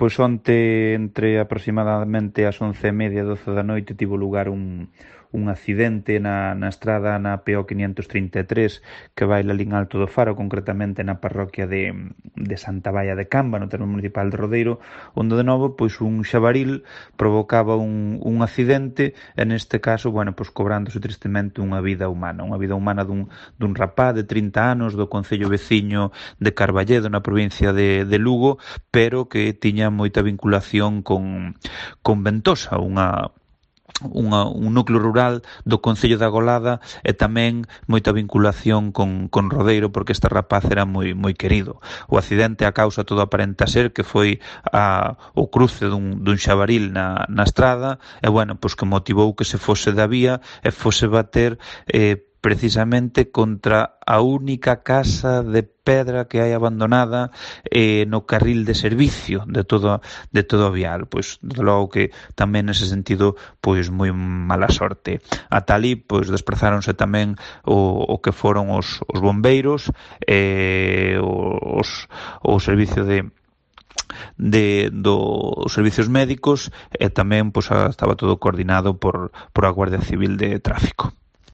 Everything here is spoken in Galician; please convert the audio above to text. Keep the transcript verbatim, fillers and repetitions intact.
Pois onte, entre aproximadamente as once e media e doce da noite, tivo lugar un, un accidente na, na estrada na P O quinientos trinta e tres que vai lalín Alto do Faro, concretamente na parroquia de, de Santa Baia de Camba, no termo municipal de Rodeiro, onde de novo pois un xabaril provocaba un, un accidente, e neste caso, bueno, pois cobrándose tristemente unha vida humana, unha vida humana dun, dun rapaz de trinta anos do concello veciño de Carballedo, na provincia de, de Lugo, pero que tiña moita vinculación con, con Ventosa, unha Unha, un núcleo rural do concello da Golada, e tamén moita vinculación con, con Rodeiro, porque este rapaz era moi moi querido. O accidente, a causa, todo aparenta ser que foi a, o cruce dun, dun xabaril na, na estrada, e bueno, pois que motivou que se fose da vía e fose bater eh, precisamente contra a única casa de pedra que hai abandonada eh, no carril de servicio de todo de todo o vial. Pois, desde logo que tamén nese sentido, pois moi mala sorte. Ata ali, pois, desprazáronse tamén o, o que foron os, os bombeiros, eh, os, o servicio de de dos servicios médicos, e tamén pois estaba todo coordinado por, por a Guardia Civil de Tráfico.